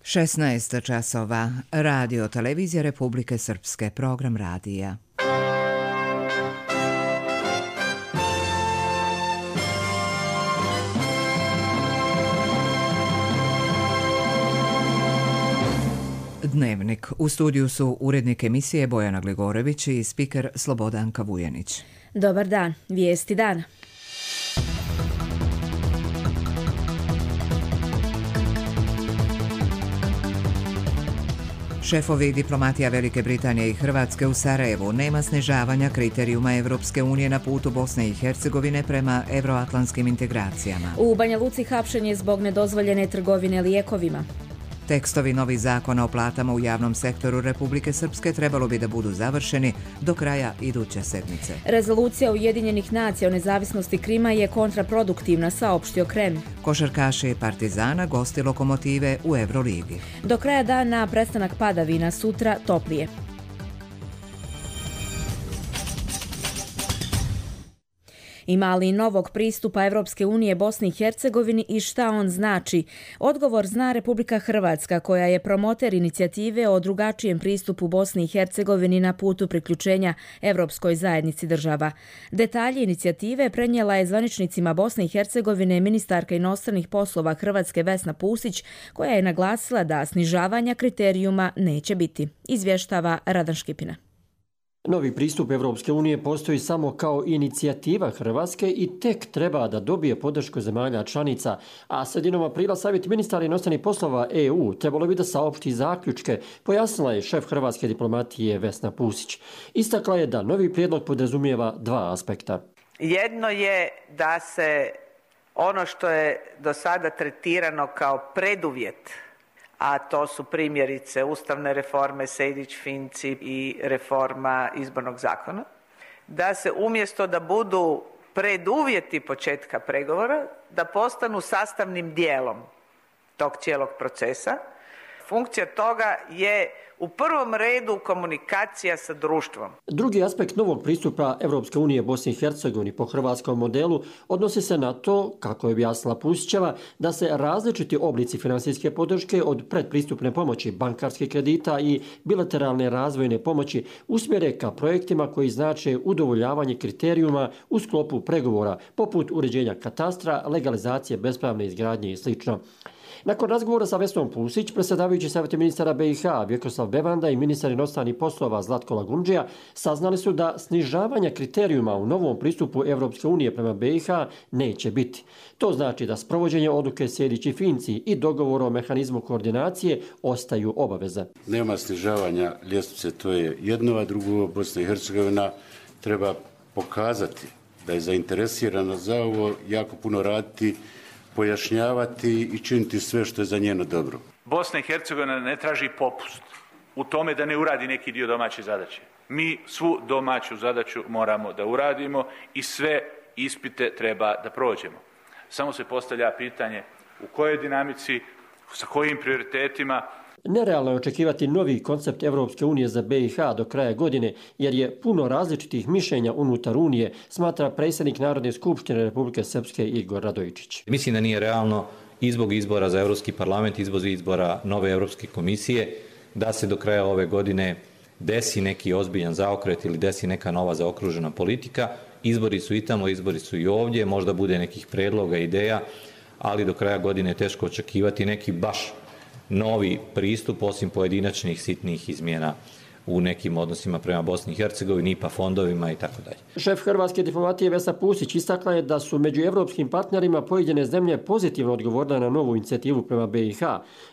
16 časova. Radio Televizija Republike Srpske. Program radija. Dnevnik. U studiju su urednik emisije Bojana Gligorević i spiker Slobodanka Vujanić. Dobar dan. Vijesti dana. Šefovi diplomatija Velike Britanije i Hrvatske u Sarajevu: nema snižavanja kriterijuma Evropske unije na putu Bosne i Hercegovine prema evroatlantskim integracijama. U Banja Luci hapšen je zbog nedozvoljene trgovine lijekovima. Tekstovi novih zakona o platama u javnom sektoru Republike Srpske trebalo bi da budu završeni do kraja iduće sedmice. Rezolucija Ujedinjenih nacija o nezavisnosti Krima je kontraproduktivna, saopštio Krem. Košarkaši Partizana gosti Lokomotive u Euroligi. Do kraja dana prestanak padavina, sutra toplije. Ima li novog pristupa Evropske unije Bosni i Hercegovini i šta on znači? Odgovor zna Republika Hrvatska, koja je promoter inicijative o drugačijem pristupu Bosni i Hercegovini na putu priključenja Evropskoj zajednici država. Detalje inicijative prenijela je zvaničnicima Bosne i Hercegovine ministarka inostranih poslova Hrvatske Vesna Pusić, koja je naglasila da snižavanja kriterijuma neće biti. Izvještava Radan Škipina. Novi pristup Evropske unije postoji samo kao inicijativa Hrvatske i tek treba da dobije podršku zemalja članica, a sredinom aprila Savjet ministara inostranih poslova EU trebalo bi da saopšti zaključke, pojasnila je šef hrvatske diplomatije Vesna Pusić. Istakla je da novi prijedlog podrazumijeva dva aspekta. Jedno je da se ono što je do sada tretirano kao preduvjet, a to su primjerice ustavne reforme, Sejdić-Finci i reforma izbornog zakona, da se umjesto da budu preduvjeti početka pregovora, da postanu sastavnim dijelom tog cijelog procesa. Funkcija toga je u prvom redu komunikacija sa društvom. Drugi aspekt novog pristupa Evropske unije Bosni i Hercegovini po hrvatskom modelu odnosi se na to, kako je objasnila Pusićeva, da se različiti oblici finansijske podrške od predpristupne pomoći, bankarskih kredita i bilateralne razvojne pomoći usmjere ka projektima koji znače udovoljavanje kriterijuma u sklopu pregovora, poput uređenja katastra, legalizacije bespravne izgradnje i sl. Nakon razgovora sa Vesnom Pusić, predsjedavajući Savjeta ministara BiH Vjekoslav Bevanda i ministar inostranih poslova Zlatko Lagundžija saznali su da snižavanja kriterijuma u novom pristupu Evropske unije prema BiH neće biti. To znači da sprovođenje odluke Sejdić i Finci i dogovor o mehanizmu koordinacije ostaju obaveze. Nema snižavanja ljestvice, to je jedno, a drugo Bosna i Hercegovina treba pokazati da je zainteresirana za ovo, jako puno raditi, pojašnjavati i činiti sve što je za njeno dobro. Bosna i Hercegovina ne traži popust u tome da ne uradi neki dio domaće zadaće. Mi svu domaću zadaću moramo da uradimo i sve ispite treba da prođemo. Samo se postavlja pitanje u kojoj dinamici, sa kojim prioritetima. Nerealno je očekivati novi koncept Evropske unije za BiH do kraja godine, jer je puno različitih mišljenja unutar Unije, smatra predsjednik Narodne skupštine Republike Srpske Igor Radojičić. Mislim da nije realno i zbog izbora za Europski parlament, i zbog izbora nove Europske komisije, da se do kraja ove godine desi neki ozbiljan zaokret ili desi neka nova zaokružena politika. Izbori su i tamo, izbori su i ovdje, možda bude nekih predloga, ideja, ali do kraja godine je teško očekivati neki baš novi pristup, osim pojedinačnih sitnih izmjena u nekim odnosima prema Bosni i Hercegovini, IPA fondovima i tako dalje. Šef hrvatske diplomatije Vesna Pusić istakla je da su među evropskim partnerima pojedine zemlje pozitivno odgovorile na novu inicijativu prema BiH,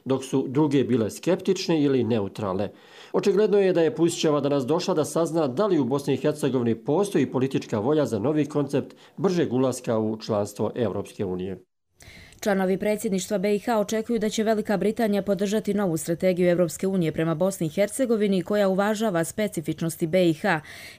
dok su druge bile skeptične ili neutralne. Očigledno je da je Pusićeva danas došla da sazna da li u Bosni i Hercegovini postoji politička volja za novi koncept bržeg ulaska u članstvo Evropske unije. Članovi predsjedništva BiH očekuju da će Velika Britanija podržati novu strategiju Evropske unije prema Bosni i Hercegovini koja uvažava specifičnosti BiH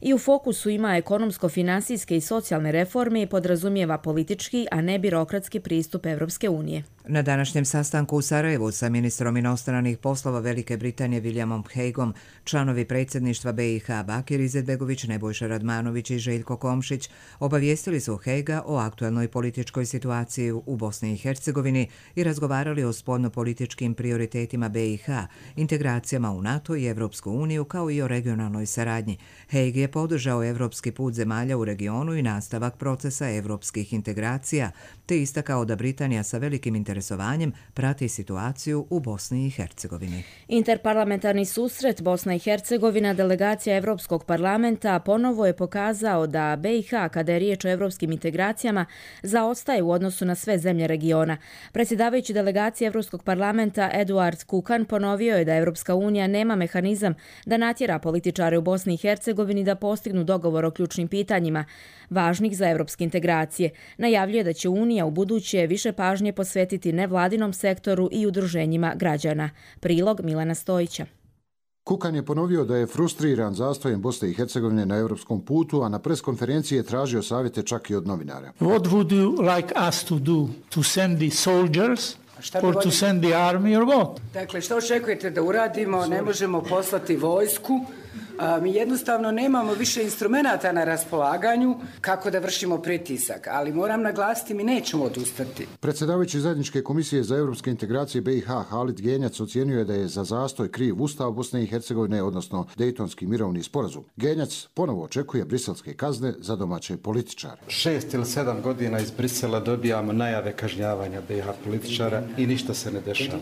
i u fokusu ima ekonomsko-finansijske i socijalne reforme i podrazumijeva politički, a ne birokratski pristup Evropske unije. Na današnjem sastanku u Sarajevu sa ministrom inostranih poslova Velike Britanije Williamom Hagueom, članovi predsjedništva BiH Bakir Izetbegović, Nebojša Radmanović i Željko Komšić obavijestili su Haguea o aktuelnoj političkoj situaciji u Bosni i Hercegovini i razgovarali o spoljnopolitičkim prioritetima BiH, integracijama u NATO i Evropsku uniju kao i o regionalnoj saradnji. Hague je podržao evropski put zemalja u regionu i nastavak procesa evropskih integracija, te istakao da Britanija sa velikim interesovanjem prati situaciju u Bosni i Hercegovini. Interparlamentarni susret Bosna i Hercegovina, delegacija Evropskog parlamenta, ponovo je pokazao da BiH, kada je riječ o evropskim integracijama, zaostaje u odnosu na sve zemlje regiona. Predsjedavajući delegacije Evropskog parlamenta Eduard Kukan ponovio je da Evropska unija nema mehanizam da natjera političare u Bosni i Hercegovini da postignu dogovor o ključnim pitanjima važnih za evropske integracije. Najavljuje da će Unija u buduće više pažnje posvetiti nevladinom sektoru i udruženjima građana. Prilog Milana Stojića. Kukan je ponovio da je frustriran zastojem Bosne i Hercegovine na europskom putu, a na preskonferenciji je tražio savjete čak i od novinara. What would you like us to do? To send the soldiers? Or to send the army or what? Dakle, što očekujete da uradimo? Ne možemo poslati vojsku. Mi jednostavno nemamo više instrumenata na raspolaganju kako da vršimo pritisak, ali moram naglasiti, mi nećemo odustati. Predsjedavajući zajedničke komisije za europske integracije BiH Halid Genjac ocijenio je da je za zastoj kriv Ustav Bosne i Hercegovine, odnosno Dejtonski mirovni sporazum. Genjac ponovo očekuje briselske kazne za domaće političare. 6 ili 7 godina iz Brisela dobijamo najave kažnjavanja BiH političara i ništa se ne dešava.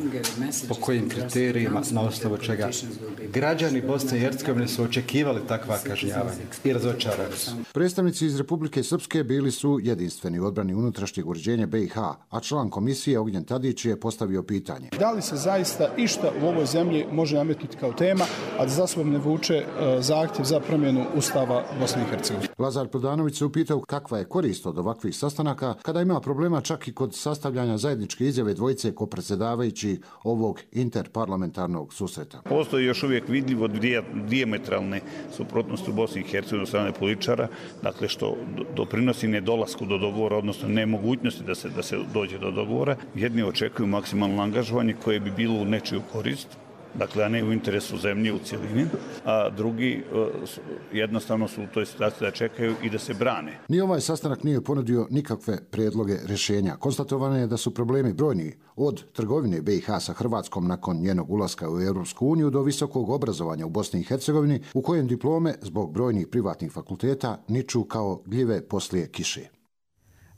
Po kojim kriterijima, na osnovu čega? Građani Bosne i Hercegovine su očekivali takva kažnjavanja i razočarani su. Predstavnici iz Republike Srpske bili su jedinstveni u odbrani unutrašnjeg uređenja BiH, a član komisije Ognjen Tadić je postavio pitanje. Da li se zaista išta u ovoj zemlji može nametnuti kao tema, a da za sobom ne vuče zahtjev za promjenu Ustava Bosne i Hercegovine? Lazar Prodanović se upitao kakva je korist od ovakvih sastanaka kada ima problema čak i kod sastavljanja zajedničke izjave dvojice kopredsjedavajući ovog interparlamentarnog susreta. Postoji još uvijek vidljivo dijametralne suprotnosti u Bosni i Hercegovini od strane političara, dakle što doprinosi nedolasku do dogovora, odnosno nemogućnosti da se dođe do dogovora. Jedni očekuju maksimalno angažovanje koje bi bilo u nečiju korist, dakle, a ne u interesu zemlje u cjelini, a drugi jednostavno su u toj situaciji da čekaju i da se brane. Ni ovaj sastanak nije ponudio nikakve prijedloge rješenja. Konstatovano je da su problemi brojni, od trgovine BiH sa Hrvatskom nakon njenog ulaska u Europsku uniju do visokog obrazovanja u Bosni i Hercegovini, u kojem diplome zbog brojnih privatnih fakulteta niču kao gljive poslije kiše.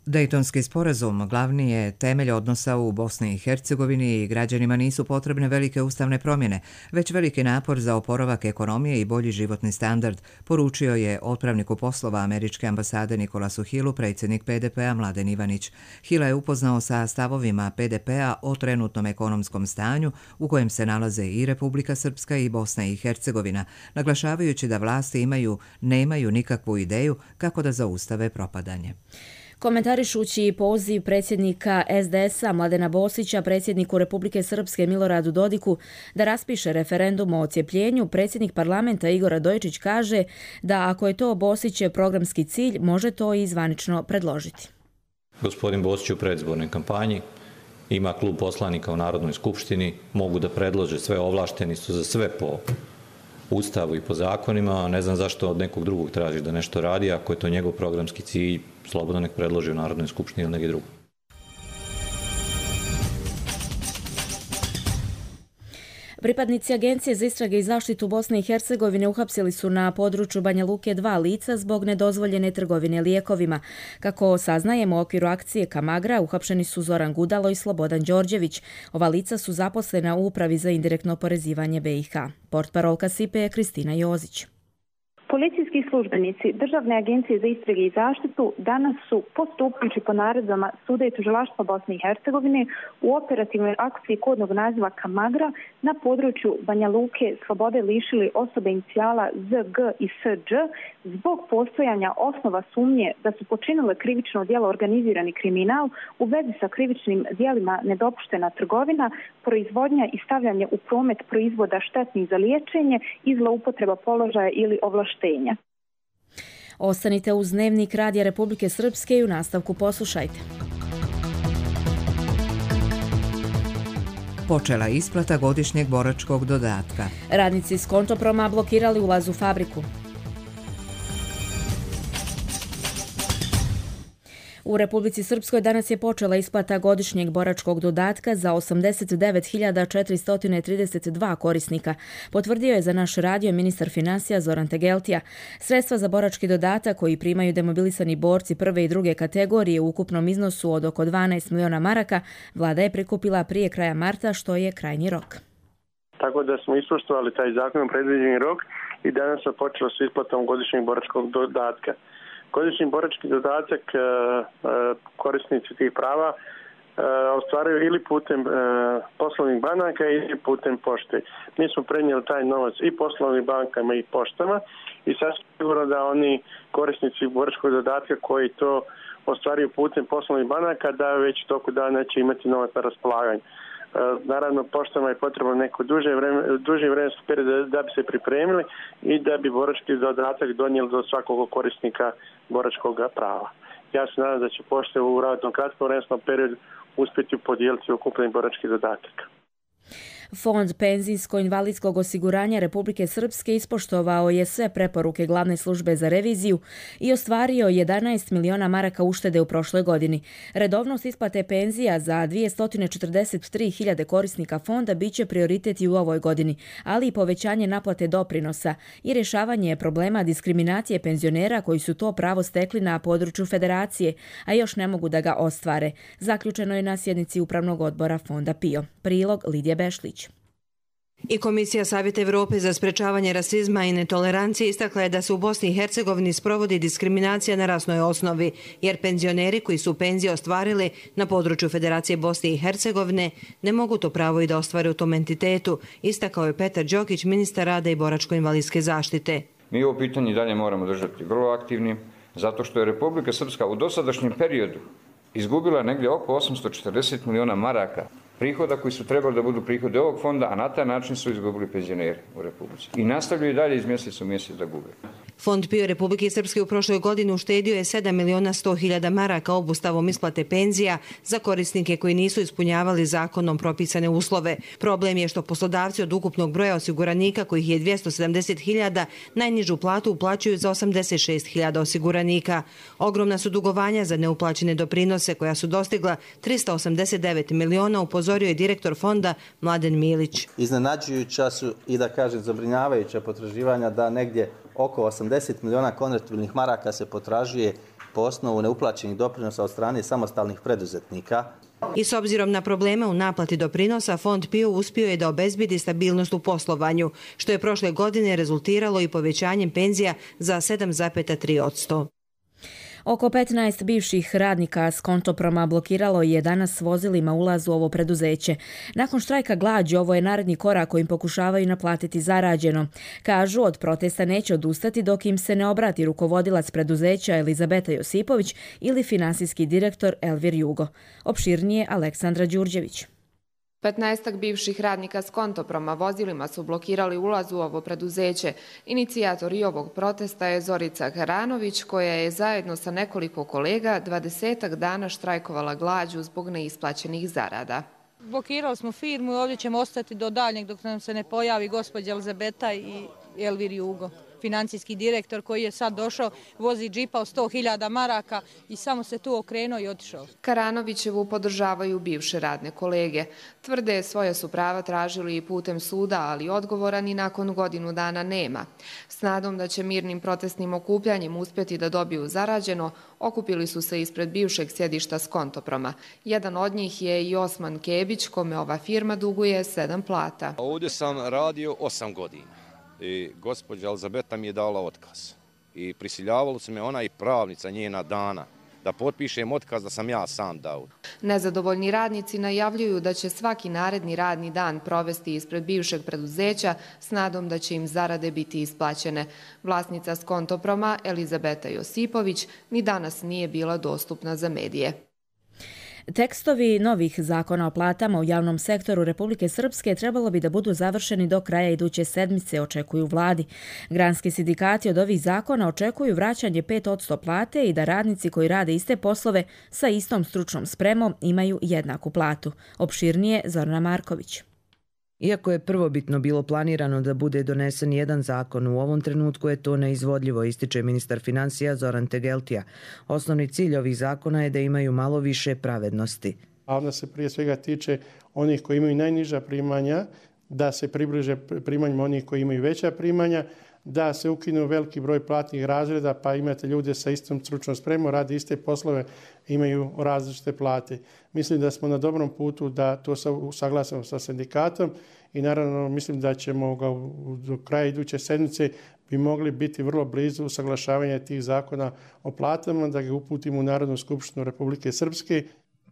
Dejtonski sporazum glavni je temelj odnosa u Bosni i Hercegovini i građanima nisu potrebne velike ustavne promjene, već veliki napor za oporavak ekonomije i bolji životni standard, poručio je otpravniku poslova američke ambasade Nikolasu Hillu predsjednik PDP-a Mladen Ivanić. Hilla je upoznao sa stavovima PDP-a o trenutnom ekonomskom stanju u kojem se nalaze i Republika Srpska i Bosna i Hercegovina, naglašavajući da vlasti nemaju nikakvu ideju kako da zaustave propadanje. Komentarišući poziv predsjednika SDS-a Mladena Bosića predsjedniku Republike Srpske Miloradu Dodiku da raspiše referendum o odcijepljenju, predsjednik parlamenta Igor Radojičić kaže da ako je to Bosićev programski cilj, može to i zvanično predložiti. Gospodin Bosić u predizbornoj kampanji ima klub poslanika u Narodnoj skupštini, mogu da predlože sve, ovlašteni su za sve po Ustavu i po zakonima, a ne znam zašto od nekog drugog traži da nešto radi, ako je to njegov programski cilj, slobodno nek predloži u Narodnoj skupštini ili neki drugi. Pripadnici Agencije za istrage i zaštitu Bosne i Hercegovine uhapsili su na području Banja Luke 2 lica zbog nedozvoljene trgovine lijekovima. Kako saznajemo, u okviru akcije Kamagra uhapšeni su Zoran Gudalo i Slobodan Đorđević. Ova lica su zaposlena u Upravi za indirektno oporezivanje BiH. Portparolka SIPE je Kristina Jozić. Policijski službenici Državne agencije za istrage i zaštitu danas su, postupajući po naredbama Suda i tužilaštva Bosne i Hercegovine, u operativnoj akciji kodnog naziva Kamagra na području Banja Luke slobode lišili osobe inicijala ZG i Sđ zbog postojanja osnova sumnje da su počinile krivično djelo organizirani kriminal u vezi sa krivičnim djelima nedopuštena trgovina, proizvodnja i stavljanje u promet proizvoda štetnih za liječenje i zloupotreba položaja ili ovlaštenja. Ostanite uz Dnevnik Radija Republike Srpske i u nastavku poslušajte. počela isplata godišnjeg boračkog dodatka. Radnici s Kontoproma blokirali ulaz u fabriku. U Republici Srpskoj danas je počela isplata godišnjeg boračkog dodatka za 89.432 korisnika, potvrdio je za naš radio ministar financija Zoran Tegeltija. Sredstva za borački dodatak koji primaju demobilisani borci prve i druge kategorije u ukupnom iznosu od oko 12 miliona maraka vlada je prikupila prije kraja marta, što je krajnji rok. Tako da smo ispoštovali taj zakonom predviđeni rok i danas smo počeli s isplatom godišnjeg boračkog dodatka. Godišnji borački dodatak korisnici tih prava ostvaruju ili putem poslovnih banaka ili putem pošte. Mi smo prenijeli taj novac i poslovnim bankama i poštama i sasvim sigurno da oni korisnici boračkog dodatka koji to ostvaruju putem poslovnih banaka da već toku dana će imati novac na raspolaganju. Naravno, poštama je potrebno neko duži vremenski period da bi se pripremili i da bi borački dodatak donijeli do svakog korisnika boračkog prava. Ja se nadam da će pošte u relativno kratkom vremenskom periodu uspjeti podijeliti ukupni borački dodatak. Fond penzijsko-invalidskog osiguranja Republike Srpske ispoštovao je sve preporuke glavne službe za reviziju i ostvario 11 miliona maraka uštede u prošloj godini. Redovnost isplate penzija za 243.000 korisnika fonda biće prioritet i u ovoj godini, ali i povećanje naplate doprinosa i rješavanje problema diskriminacije penzionera koji su to pravo stekli na području federacije, a još ne mogu da ga ostvare. Zaključeno je na sjednici Upravnog odbora Fonda PIO. Prilog Lidija Bešlić. I Komisija Savjeta Evrope za sprečavanje rasizma i netolerancije istakla je da se u Bosni i Hercegovini sprovodi diskriminacija na rasnoj osnovi, jer penzioneri koji su penzije ostvarili na području Federacije Bosne i Hercegovine ne mogu to pravo i da ostvare u tom entitetu, istakao je Petar Đokić, ministar rada i boračko-invalidske zaštite. Mi ovo pitanje dalje moramo držati vrlo aktivnim, zato što je Republika Srpska u dosadašnjem periodu izgubila negdje oko 840 miliona maraka prihoda koji su trebali da budu prihodi ovog fonda, a na taj način su izgubili penzioneri u Republici. I nastavljaju dalje iz mjeseca u mjesec da gube. Fond PIO Republike Srpske u prošloj godini uštedio je 7.100.000 maraka obustavom isplate penzija za korisnike koji nisu ispunjavali zakonom propisane uslove. Problem je što poslodavci od ukupnog broja osiguranika, kojih je 270.000, najnižu platu uplaćuju za 86.000 osiguranika. Ogromna su dugovanja za neuplaćene doprinose koja su dostigla 389 miliona, upozorio je direktor fonda Mladen Milić. Iznenađujuća su i da kažem zabrinjavajuća potraživanja da negdje oko 80 miliona konvertibilnih maraka se potražuje po osnovu neuplaćenih doprinosa od strane samostalnih preduzetnika. I s obzirom na probleme u naplati doprinosa, Fond PIO uspio je da obezbedi stabilnost u poslovanju, što je prošle godine rezultiralo i povećanjem penzija za 7,3%. Oko 15 bivših radnika s Kontoproma blokiralo je danas vozilima ulaz u ovo preduzeće. Nakon štrajka glađu, ovo je naredni korak kojim pokušavaju naplatiti zarađeno. Kažu, od protesta neće odustati dok im se ne obrati rukovodilac preduzeća Elizabeta Josipović ili finansijski direktor Elvir Jugo. Opširnije Aleksandra Đurđević. 15 bivših radnika s Kontoproma vozilima su blokirali ulaz u ovo preduzeće. Inicijator i ovog protesta je Zorica Karanović, koja je zajedno sa nekoliko kolega 20 dana štrajkovala glađu zbog neisplaćenih zarada. Blokirali smo firmu i ovdje ćemo ostati do daljnjeg dok nam se ne pojavi gospođa Elizabeta i Elvir Jugo, financijski direktor koji je sad došao, vozi džipa od 100.000 maraka i samo se tu okrenuo i otišao. Karanovićevu podržavaju bivše radne kolege. Tvrde svoje su prava tražili i putem suda, ali odgovora ni nakon godinu dana nema. S nadom da će mirnim protestnim okupljanjem uspjeti da dobiju zarađeno, okupili su se ispred bivšeg sjedišta s Kontoproma. Jedan od njih je i Osman Kebić, kome ova firma duguje 7 plata. Ovdje sam radio 8 godina. I gospođa Elizabeta mi je dala otkaz. I prisiljavalo su me ona i pravnica njena Dana da potpišem otkaz da sam ja sam dao. Nezadovoljni radnici najavljuju da će svaki naredni radni dan provesti ispred bivšeg preduzeća s nadom da će im zarade biti isplaćene. Vlasnica s Kontoproma Elizabeta Josipović ni danas nije bila dostupna za medije. Tekstovi novih zakona o platama u javnom sektoru Republike Srpske trebalo bi da budu završeni do kraja iduće sedmice, očekuju vladi. Granski sindikati od ovih zakona očekuju vraćanje 5% plate i da radnici koji rade iste poslove sa istom stručnom spremom imaju jednaku platu. Opširnije Zorana Marković. Iako je prvobitno bilo planirano da bude donesen jedan zakon, u ovom trenutku je to neizvodljivo, ističe ministar financija Zoran Tegeltija. Osnovni cilj ovih zakona je da imaju malo više pravednosti. A onda se prije svega tiče onih koji imaju najniža primanja, da se približe primanjima onih koji imaju veća primanja, da se ukinu veliki broj platnih razreda, pa imate ljude sa istom stručnom spremom, rade iste poslove, imaju različite plate. Mislim da smo na dobrom putu da to usaglasimo sa sindikatom i naravno mislim da ćemo ga do kraja iduće sedmice bi mogli biti vrlo blizu usaglašavanja tih zakona o platama, da ga uputimo u Narodnu skupštinu Republike Srpske.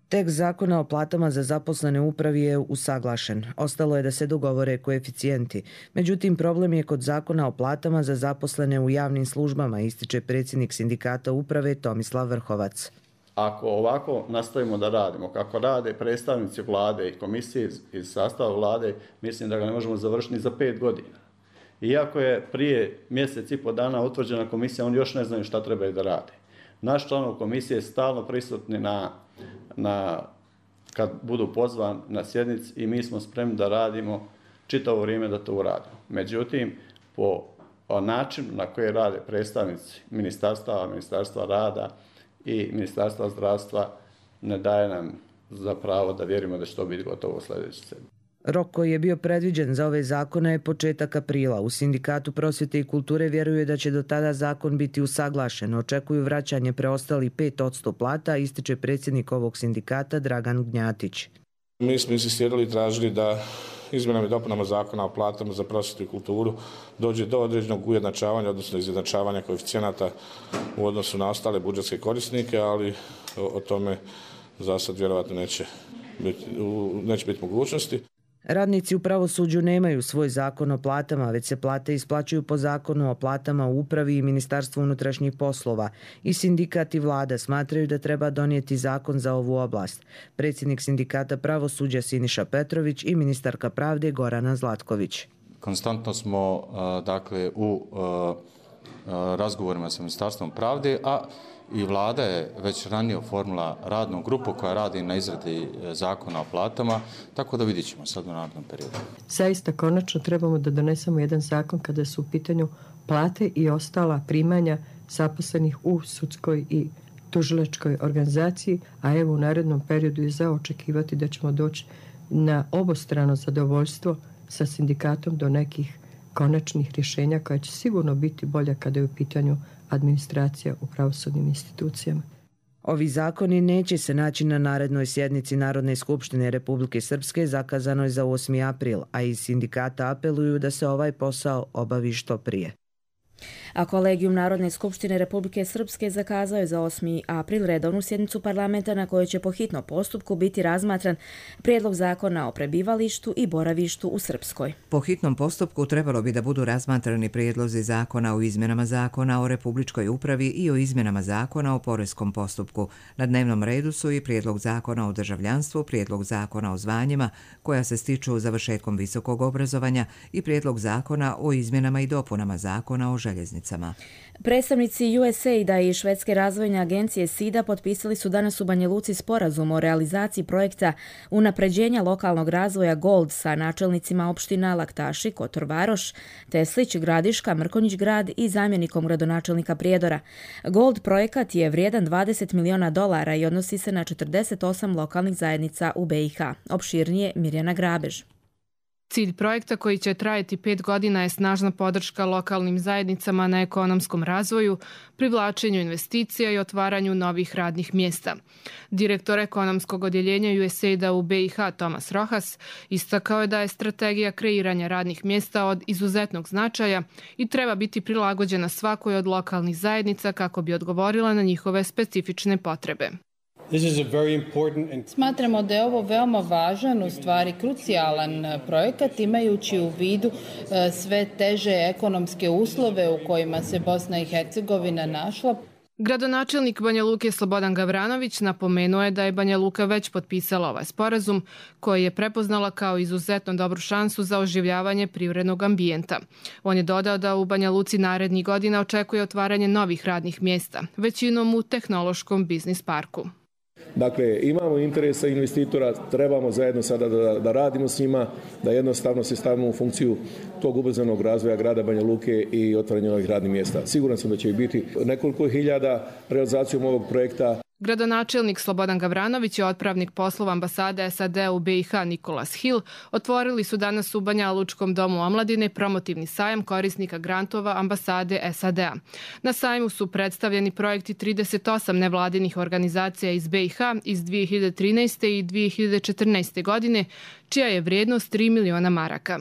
Tekst zakona o platama za zaposlene u upravi je usaglašen. Ostalo je da se dogovore koeficijenti. Međutim, problem je kod zakona o platama za zaposlene u javnim službama, ističe predsjednik sindikata uprave Tomislav Vrhovac. Ako ovako nastavimo da radimo, kako rade predstavnici vlade i komisije iz sastava vlade, mislim da ga ne možemo završiti ni za 5 godina. Iako je prije mjesec i po dana utvrđena komisija, oni još ne znaju šta trebaju da rade. Naš članov komisije je stalno prisutni kad budu pozvani na sjednici i mi smo spremni da radimo čitavo vrijeme da to uradimo. Međutim, po načinu na koji rade predstavnici Ministarstva rada i Ministarstva zdravstva ne daje nam za pravo da vjerujemo da će to biti gotovo sljedeće sedmice. Rok koji je bio predviđen za ove zakone je početak aprila. U Sindikatu prosvjete i kulture vjeruje da će do tada zakon biti usaglašen. Očekuju vraćanje preostalih 5% plata, ističe predsjednik ovog sindikata Dragan Gnjatić. Mi smo insistirali i tražili da izmjenama i dopunama zakona o platama za prosvjetu i kulturu dođe do određenog ujednačavanja, odnosno izjednačavanja koeficijenata u odnosu na ostale budžetske korisnike, ali o tome za sad vjerovatno neće biti mogućnosti. Radnici u pravosuđu nemaju svoj zakon o platama, već se plate isplaćuju po zakonu o platama u upravi i Ministarstvu unutrašnjih poslova. I sindikat i vlada smatraju da treba donijeti zakon za ovu oblast. Predsjednik sindikata pravosuđa Siniša Petrović i ministarka pravde Gorana Zlatković. Konstantno smo u razgovorima sa Ministarstvom pravde, a i vlada je već ranije oformila radnu grupu koja radi na izradi zakona o platama, tako da vidjet ćemo sad u narednom periodu. Zaista konačno trebamo da donesemo jedan zakon kada su u pitanju plate i ostala primanja zaposlenih u sudskoj i tužilačkoj organizaciji, a evo u narednom periodu je za očekivati da ćemo doći na obostrano zadovoljstvo sa sindikatom do nekih konačnih rješenja koja će sigurno biti bolja kada je u pitanju administracija u pravosudnim institucijama. Ovi zakoni neće se naći na narednoj sjednici Narodne skupštine Republike Srpske zakazanoj za 8. april, a iz sindikata apeluju da se ovaj posao obavi što prije. A Kolegijum Narodne skupštine Republike Srpske zakazao je za 8. april redovnu sjednicu parlamenta na kojoj će po hitnom postupku biti razmatran prijedlog zakona o prebivalištu i boravištu u Srpskoj. Po hitnom postupku trebalo bi da budu razmatrani prijedlozi zakona o izmjenama zakona o republičkoj upravi i o izmjenama zakona o poreskom postupku. Na dnevnom redu su i prijedlog zakona o državljanstvu, prijedlog zakona o zvanjima koja se stiču završetkom visokog obrazovanja i prijedlog zakona o izmjenama i dopunama zakona o željeznicama. Predstavnici USAID-a i Švedske razvojne agencije SIDA potpisali su danas u Banja Luci sporazum o realizaciji projekta unapređenja lokalnog razvoja GOLD sa načelnicima opština Laktaši, Kotor Varoš, Teslić, Gradiška, Mrkonjić grad i zamjenikom gradonačelnika Prijedora. GOLD projekat je vrijedan $20 miliona i odnosi se na 48 lokalnih zajednica u BiH. Opširnije Mirjana Grabež. Cilj projekta koji će trajati 5 godina je snažna podrška lokalnim zajednicama na ekonomskom razvoju, privlačenju investicija i otvaranju novih radnih mjesta. Direktor ekonomskog odjeljenja USAID-a u BiH Tomas Rojas istakao je da je strategija kreiranja radnih mjesta od izuzetnog značaja i treba biti prilagođena svakoj od lokalnih zajednica kako bi odgovorila na njihove specifične potrebe. Smatramo da je ovo veoma važan, u stvari krucijalan projekat, imajući u vidu sve teže ekonomske uslove u kojima se Bosna i Hercegovina našla. Gradonačelnik Banja Luke Slobodan Gavranović napomenuo je da je Banja Luka već potpisala ovaj sporazum koji je prepoznala kao izuzetno dobru šansu za oživljavanje privrednog ambijenta. On je dodao da u Banja Luci narednih godina očekuje otvaranje novih radnih mjesta, većinom u tehnološkom biznis parku. Dakle, imamo interesa investitora, trebamo zajedno sada da radimo s njima, da jednostavno se stavimo u funkciju tog ubrzanog razvoja grada Banja Luke i otvaranja novih radnih mjesta. Siguran sam da će ih biti nekoliko hiljada realizacijom ovog projekta. Gradonačelnik Slobodan Gavranović i otpravnik poslova ambasade SAD u BiH Nikolas Hill otvorili su danas u Banja Lučkom domu omladine promotivni sajam korisnika grantova ambasade SAD-a. Na sajmu su predstavljeni projekti 38 nevladinih organizacija iz BiH iz 2013. i 2014. godine, čija je vrijednost 3 miliona maraka.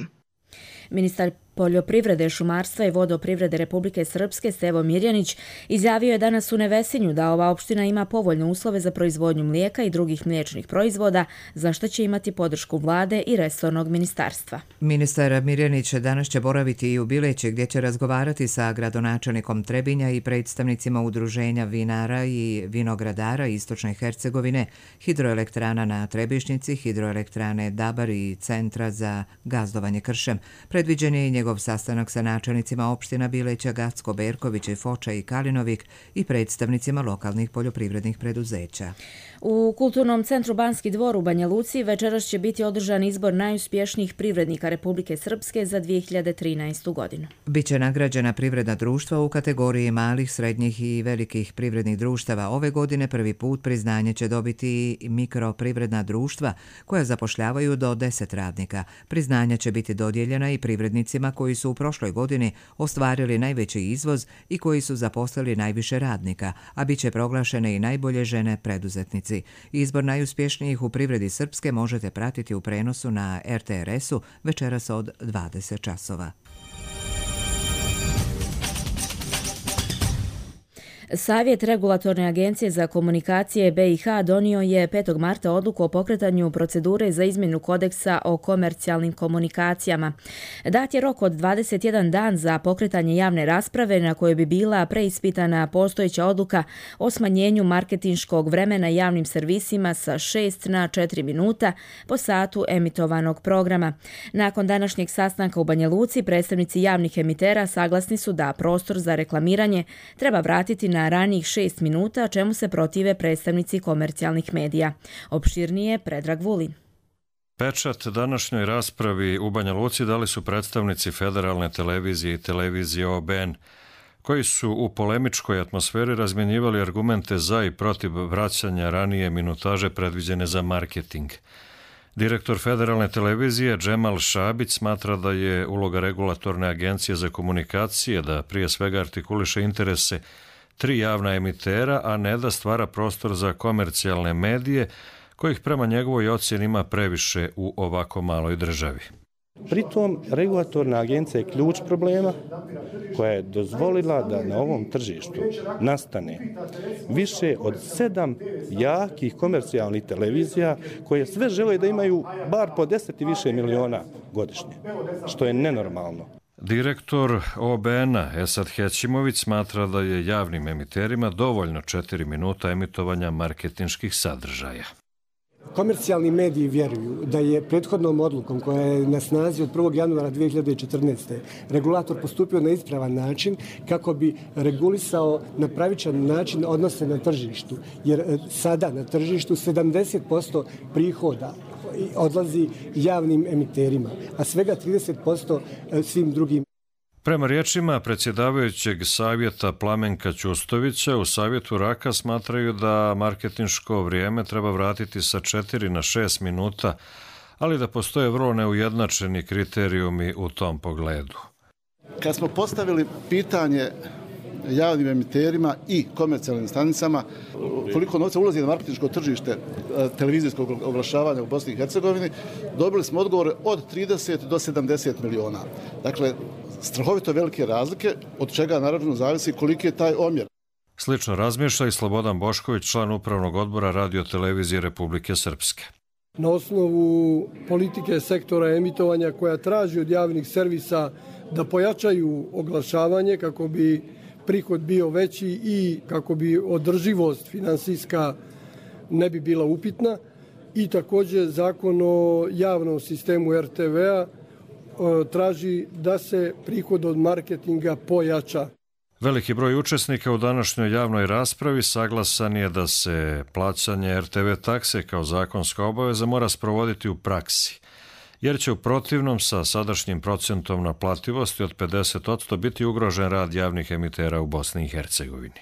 Ministar poljoprivrede, šumarstva i vodoprivrede Republike Srpske Stevo Mirjanić izjavio je danas u Nevesinju da ova opština ima povoljne uslove za proizvodnju mlijeka i drugih mliječnih proizvoda, za što će imati podršku vlade i resornog ministarstva. Ministar Mirjanić danas će boraviti i u Bileći, gdje će razgovarati sa gradonačelnikom Trebinja i predstavnicima udruženja vinara i vinogradara Istočne Hercegovine, hidroelektrana na Trebišnjici, hidroelektrane Dabar i Centra za gazdovanje kršem. Predviđen je i njegov sastanak sa načelnicima opština Bileća, Gacko, Berković, Foča i Kalinovik i predstavnicima lokalnih poljoprivrednih preduzeća. U Kulturnom centru Banski dvor u Banja Luci večeras će biti održan izbor najuspješnijih privrednika Republike Srpske za 2013. godinu. Biće nagrađena privredna društva u kategoriji malih, srednjih i velikih privrednih društava. Ove godine prvi put priznanje će dobiti mikroprivredna društva koja zapošljavaju do 10 radnika. Priznanja će biti dodijeljena i privrednicima koji su u prošloj godini ostvarili najveći izvoz i koji su zaposlili najviše radnika, a bit će proglašene i najbolje žene preduzetnici. Izbor najuspješnijih u privredi Srpske možete pratiti u prenosu na RTRS-u večeras od 20 časova. Savjet Regulatorne agencije za komunikacije BiH donio je 5. marta odluku o pokretanju procedure za izmjenu kodeksa o komercijalnim komunikacijama. Dat je rok od 21 dan za pokretanje javne rasprave na kojoj bi bila preispitana postojeća odluka o smanjenju marketinškog vremena javnim servisima sa 6 na 4 minuta po satu emitovanog programa. Nakon današnjeg sastanka u Banja Luci, predstavnici javnih emitera saglasni su da prostor za reklamiranje treba vratiti na ranijih 6 minuta, čemu se protive predstavnici komercijalnih medija. Opširnije Predrag Vulin. Pečat današnjoj raspravi u Banja Luci dali su predstavnici Federalne televizije i televizije OBN, koji su u polemičkoj atmosferi razmjenjivali argumente za i protiv vraćanja ranije minutaže predviđene za marketing. Direktor Federalne televizije Džemal Šabić smatra da je uloga Regulatorne agencije za komunikacije da prije svega artikuliše interese 3 javna emitera, a ne da stvara prostor za komercijalne medije, kojih prema njegovoj ocjeni ima previše u ovako maloj državi. Pritom, regulatorna agencija je ključ problema koja je dozvolila da na ovom tržištu nastane više od 7 jakih komercijalnih televizija koje sve žele da imaju bar po 10 i više miliona godišnje, što je nenormalno. Direktor OBN-a Esad Hećimović smatra da je javnim emiterima dovoljno 4 minuta emitovanja marketinških sadržaja. Komercijalni mediji vjeruju da je prethodnom odlukom koja je na snazi od 1. januara 2014. regulator postupio na ispravan način kako bi regulisao na pravičan način odnose na tržištu. Jer sada na tržištu 70% prihoda odlazi javnim emiterima, a svega 30% svim drugim. Prema riječima predsjedavajućeg savjeta Plamenka Ćustovića, u savjetu Raka smatraju da marketinško vrijeme treba vratiti sa 4 na 6 minuta, ali da postoje vrlo neujednačeni kriterijumi u tom pogledu. Kad smo postavili pitanje javnim emiterima i komercijalnim stanicama koliko novca ulazi na marketinško tržište televizijskog oglašavanja u Bosni i Hercegovini, dobili smo odgovore od 30 do 70 miliona. Dakle, strahovito velike razlike, od čega naravno zavisi koliki je taj omjer. Slično razmišlja i Slobodan Bošković, član upravnog odbora Radio-televizije Republike Srpske. Na osnovu politike sektora emitovanja koja traži od javnih servisa da pojačaju oglašavanje kako bi prihod bio veći i kako bi održivost finansijska ne bi bila upitna. I također zakon o javnom sistemu RTV-a traži da se prihod od marketinga pojača. Veliki broj učesnika u današnjoj javnoj raspravi saglasan je da se plaćanje RTV takse kao zakonska obaveza mora sprovoditi u praksi, jer će u protivnom sa sadašnjim procentom naplativosti od 50% biti ugrožen rad javnih emitera u Bosni i Hercegovini.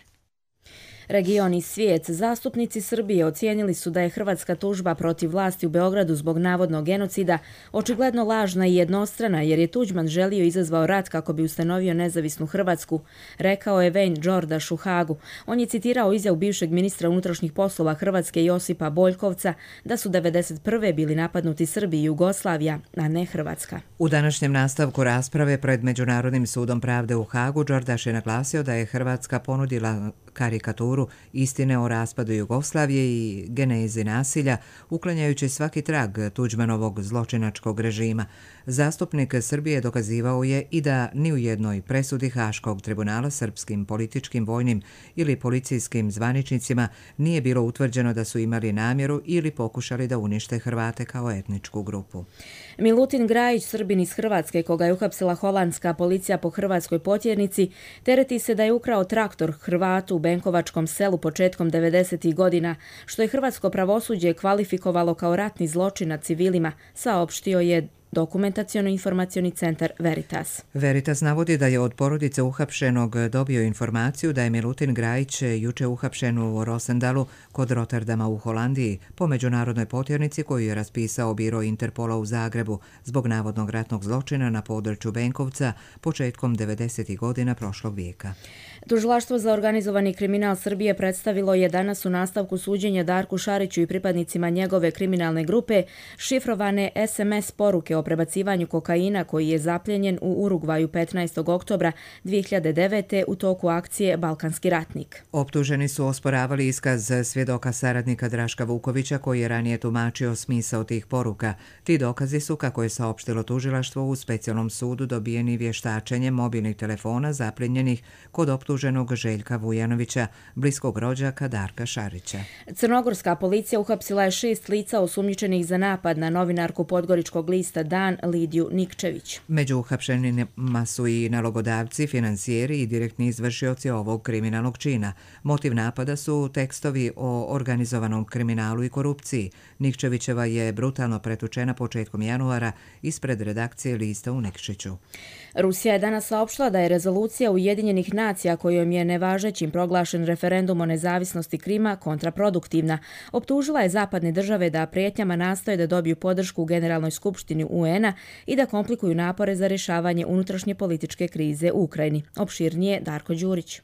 Region i svijet. Zastupnici Srbije ocijenili su da je hrvatska tužba protiv vlasti u Beogradu zbog navodnog genocida očigledno lažna i jednostrana, jer je Tuđman želio izazvao rat kako bi ustanovio nezavisnu Hrvatsku, rekao je Wayne Đordaš u Hagu. On je citirao izjavu bivšeg ministra unutrašnjih poslova Hrvatske Josipa Boljkovca da su 1991. bili napadnuti Srbi i Jugoslavija, a ne Hrvatska. U današnjem nastavku rasprave pred Međunarodnim sudom pravde u Hagu Đordaš je naglasio da je Hrvatska ponudila karikaturu istine o raspadu Jugoslavije i genezi nasilja, uklanjajući svaki trag Tuđmanovog zločinačkog režima. Zastupnik Srbije dokazivao je i da ni u jednoj presudi Haškog tribunala srpskim političkim, vojnim ili policijskim zvaničnicima nije bilo utvrđeno da su imali namjeru ili pokušali da unište Hrvate kao etničku grupu. Milutin Grajić, Srbin iz Hrvatske, koga je uhapsila holandska policija po hrvatskoj potjernici, tereti se da je ukrao traktor Hrvatu u Benkovačkom selu početkom 90. godina, što je hrvatsko pravosuđe kvalifikovalo kao ratni zločin nad civilima, saopštio je Dokumentaciono-informacioni centar Veritas. Veritas navodi da je od porodice uhapšenog dobio informaciju da je Milutin Grajić juče uhapšen u Rosendalu kod Rotterdama u Holandiji po međunarodnoj potjernici koju je raspisao biro Interpola u Zagrebu zbog navodnog ratnog zločina na području Benkovca početkom 90. godina prošlog vijeka. Tužilaštvo za organizovani kriminal Srbije predstavilo je danas u nastavku suđenja Darku Šariću i pripadnicima njegove kriminalne grupe šifrovane SMS poruke o prebacivanju kokaina koji je zapljenjen u Urugvaju 15. oktobra 2009. u toku akcije Balkanski ratnik. Optuženi su osporavali iskaz svjedoka saradnika Draška Vukovića koji je ranije tumačio smisao tih poruka. Ti dokazi su, kako je saopštilo tužilaštvo, u specijalnom sudu dobijeni vještačenjem mobilnih telefona zapljenjenih kod optuženog Željka Vujanovića, bliskog rođaka Darka Šarića. Crnogorska policija uhapsila je 6 lica osumnjičenih za napad na novinarku Podgoričkog lista Dan Lidiju Nikčević. Među uhapšenima su i nalogodavci, finansijeri i direktni izvršioci ovog kriminalnog čina. Motiv napada su tekstovi o organizovanom kriminalu i korupciji. Nikčevićeva je brutalno pretučena početkom januara ispred redakcije lista u Nikšiću. Rusija je danas saopštila da je rezolucija Ujedinjenih nacija kojom je nevažećim proglašen referendum o nezavisnosti Krima kontraproduktivna. Optužila je zapadne države da prijetnjama nastoje da dobiju podršku u Generalnoj skupštini UN-a i da komplikuju napore za rješavanje unutrašnje političke krize u Ukrajini. Opširnije Darko Đurić.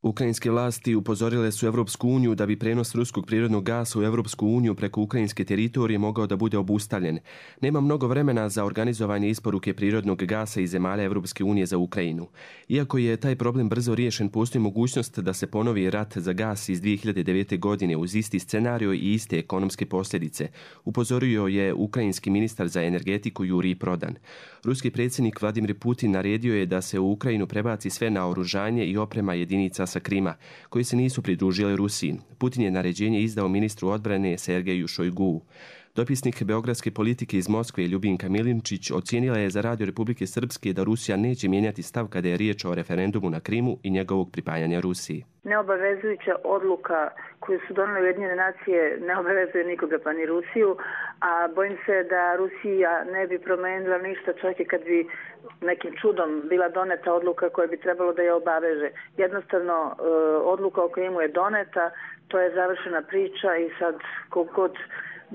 Ukrajinske vlasti upozorile su Evropsku uniju da bi prenos ruskog prirodnog gasa u Evropsku uniju preko ukrajinske teritorije mogao da bude obustavljen. Nema mnogo vremena za organizovanje isporuke prirodnog gasa iz zemalja Evropske unije za Ukrajinu. Iako je taj problem brzo riješen, postoji mogućnost da se ponovi rat za gas iz 2009. godine uz isti scenario i iste ekonomske posljedice, upozorio je ukrajinski ministar za energetiku Jurij Prodan. Ruski predsjednik Vladimir Putin naredio je da se u Ukrajinu prebaci sve naoružanje i oprema jedinica sa Krima, koji se nisu pridružili Rusiji. Putin je naređenje izdao ministru odbrane Sergeju Šojguu. Dopisnik beogradske politike iz Moskve Ljubinka Milinčić ocijenila je za Radio Republike Srpske da Rusija neće mijenjati stav kada je riječ o referendumu na Krimu i njegovog pripajanja Rusiji. Neobavezujuća odluka koju su donijele Ujedinjene nacije ne obavezuje nikoga pa ni Rusiju, a bojim se da Rusija ne bi promenila ništa čak i kad bi nekim čudom bila doneta odluka koja bi trebalo da je obaveže. Jednostavno odluka o Krimu je doneta, to je završena priča i sad kogod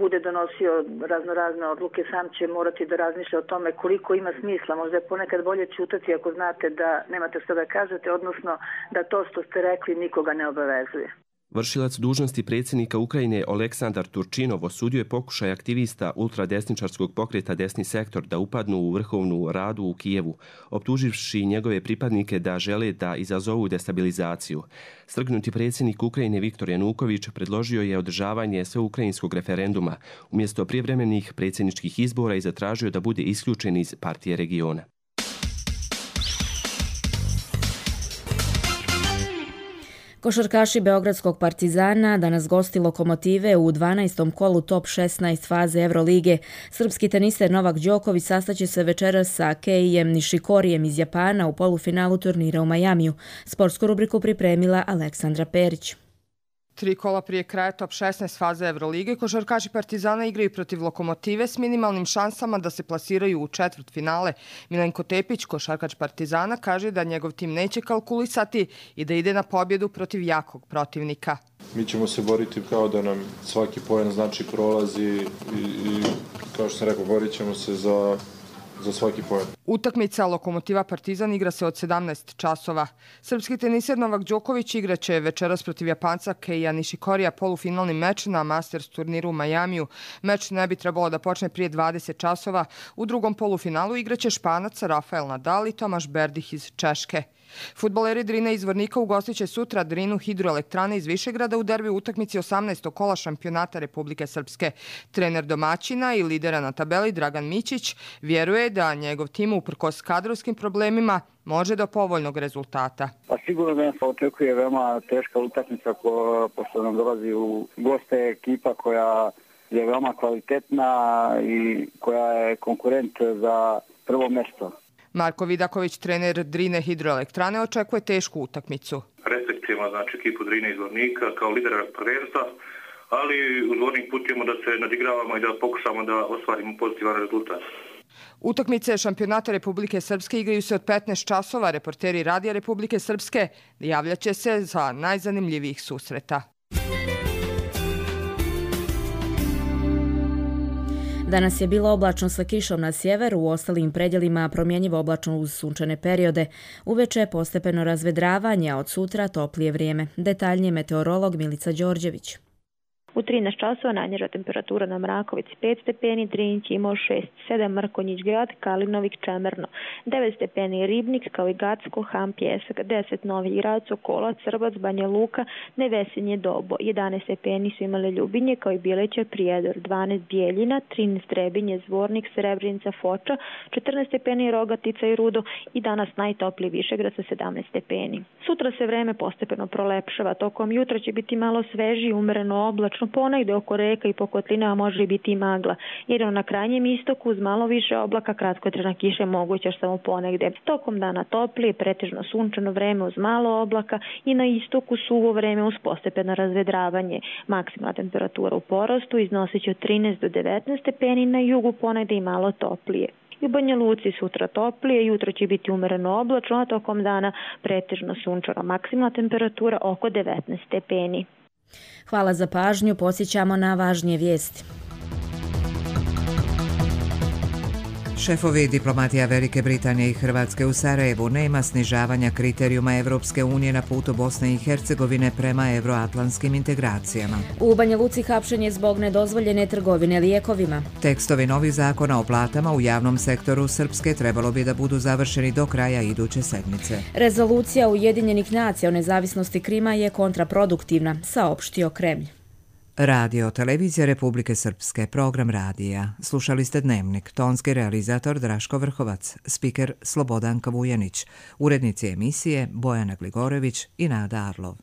bude donosio raznorazne odluke, sam će morati da razmišlja o tome koliko ima smisla. Možda je ponekad bolje ćutati ako znate da nemate što da kažete, odnosno da to što ste rekli nikoga ne obavezuje. Vršilac dužnosti predsjednika Ukrajine Oleksandar Turčinov osudio je pokušaj aktivista ultradesničarskog pokreta Desni sektor da upadnu u vrhovnu radu u Kijevu, optuživši njegove pripadnike da žele da izazovu destabilizaciju. Strgnuti predsjednik Ukrajine Viktor Januković predložio je održavanje sveukrajinskog referenduma umjesto prijevremenih predsjedničkih izbora i zatražio da bude isključen iz partije regiona. Košarkaši Beogradskog Partizana danas gosti Lokomotive u 12. kolu top 16 faze Evrolige. Srpski teniser Novak Đoković sastaće se večeras sa Keijem Nishikorijem iz Japana u polufinalu turnira u Majamiju. Sportsku rubriku pripremila Aleksandra Perić. 3 kola prije kraja top 16 faze Evrolige, košarkaši Partizana igraju protiv Lokomotive s minimalnim šansama da se plasiraju u četvrtfinale. Milenko Tepić, košarkač Partizana, kaže da njegov tim neće kalkulisati i da ide na pobjedu protiv jakog protivnika. Mi ćemo se boriti kao da nam svaki poen znači prolaz i kao što sam rekao, borit ćemo se za svaki poen. Utakmica Lokomotiva Partizan igra se od 17 časova. Srpski teniser Novak Đoković igraće večeras protiv Japanca Keija Nishikorija polufinalni meč na Masters turniru u Majamiju. Meč ne bi trebalo da počne prije 20 časova. U drugom polufinalu igraće Španac Rafael Nadal i Tomaš Berdih iz Češke. Fudbaleri Drine iz Vornika ugostiće sutra Drinu Hidroelektrane iz Višegrada u derbi utakmici 18. kola šampionata Republike Srpske. Trener domaćina i lidera na tabeli Dragan Mićić vjeruje da njegov tim uprkos kadrovskim problemima može do povoljnog rezultata. Pa sigurno da nas očekuje veoma teška utakmica pošto nam dolazi u goste ekipa koja je veoma kvalitetna i koja je konkurent za prvo mjesto. Marko Vidaković, trener Drine Hidroelektrane, očekuje tešku utakmicu. Respektujemo ekipu Drine iz Vornika kao lidera prvenstva, ali u Vornik putujemo da se nadigravamo i da pokušamo da ostvarimo pozitivan rezultat. Utakmice šampionata Republike Srpske igraju se od 15 časova. Reporteri Radija Republike Srpske javljaće se za najzanimljivijih susreta. Danas je bilo oblačno sa kišom na sjeveru, u ostalim predjelima promjenjivo oblačno uz sunčane periode. Uveče postepeno razvedravanje, a od sutra toplije vrijeme. Detaljnije meteorolog Milica Đorđević. U 13 časova najniža temperatura na Mrakovici 5 stepeni, Drinć imao 6, 7 Mrkonjić grad, Kalinovik Čemerno, 9 stepeni Ribnik, kao i Gacko, Ham, Pjesak, 10 Novi grad, Sokola, Crbac, Banja Luka, Nevesinje, Dobo, 11 stepeni su imale Ljubinje, kao i Bileća, Prijedor, 12 Bijeljina, 13 Trebinje, Zvornik, Srebrenica, Foča, 14 stepeni Rogatica i Rudo i danas najtopliji Višegrad sa 17 stepeni. Sutra se vreme postepeno prolepšava, tokom jutra će biti malo sveži, umereno oblačno, ponegde oko reka i po kotlinama može biti i magla. Jedino na krajnjem istoku uz malo više oblaka kratkotrajna kiša moguća samo ponegde. Tokom dana toplije, pretežno sunčano vreme uz malo oblaka i na istoku suvo vreme uz postepeno razvedravanje. Maksimalna temperatura u porastu iznosit će od 13 do 19 stepeni, na jugu ponegde i malo toplije. I u Banja Luci sutra toplije, jutro će biti umereno oblačno, a tokom dana pretežno sunčano. Maksimalna temperatura oko 19 stepeni. Hvala za pažnju, podsjećamo na važnije vijesti. Šefovi diplomatija Velike Britanije i Hrvatske u Sarajevu: nema snižavanja kriterijuma Evropske unije na putu Bosne i Hercegovine prema euroatlantskim integracijama. U Banja Luci hapšenje zbog nedozvoljene trgovine lijekovima. Tekstovi novih zakona o platama u javnom sektoru Srpske trebalo bi da budu završeni do kraja iduće sedmice. Rezolucija Ujedinjenih nacija o nezavisnosti Krima je kontraproduktivna, saopštio Kremlj. Radio Televizija Republike Srpske, program radija. Slušali ste Dnevnik, tonski realizator Draško Vrhovac, spiker Slobodanka Vujanić, urednici emisije Bojana Gligorević i Nada Arlov.